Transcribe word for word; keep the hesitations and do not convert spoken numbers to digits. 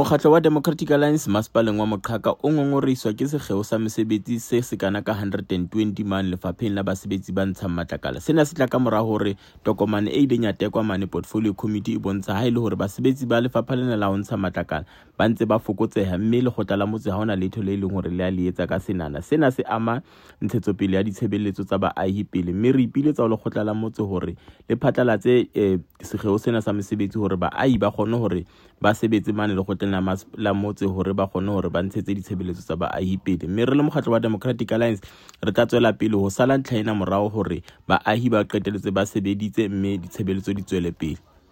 Mokgatlo wa Democratic Alliance masepaleng wa Moqhaka o ngongorehiswa ke sekgeo sa mesebetsi se sekana ka hundred and twenty mane lefapheng la basebetsi ba ntshang matlakala. Sena se tla ka mora hore tokomane e ileng ya tekwa mane Portfolio Committee e bontsha ha e le hore basebetsi ba lefapha lena la ho ntsha matlakala ba ntse ba fokotseha, mme lekgotla la motse ha hona letho le leng hore le a le etsa ka senana. Sena se ama ntshetsopele ya ditshebeletso tsa baahi pele, mme re ipiletsa ho lekgotla la motse hore le phatlalatse, eh, sekgeo sena sa mesebetsi hore baahi ba kgone hore ba sebetse mane lekgotleng la mas-, la motse hore ba kgone hore ba ntshetse ditshebeletso tsa baahi pele. Mme re le mokgatlo wa Democratic Alliance re tla tswela pele ho sala ntlha ena morao hore baahi ba qetelletse ba sebeditse mme ditshebeletso di tswele pele.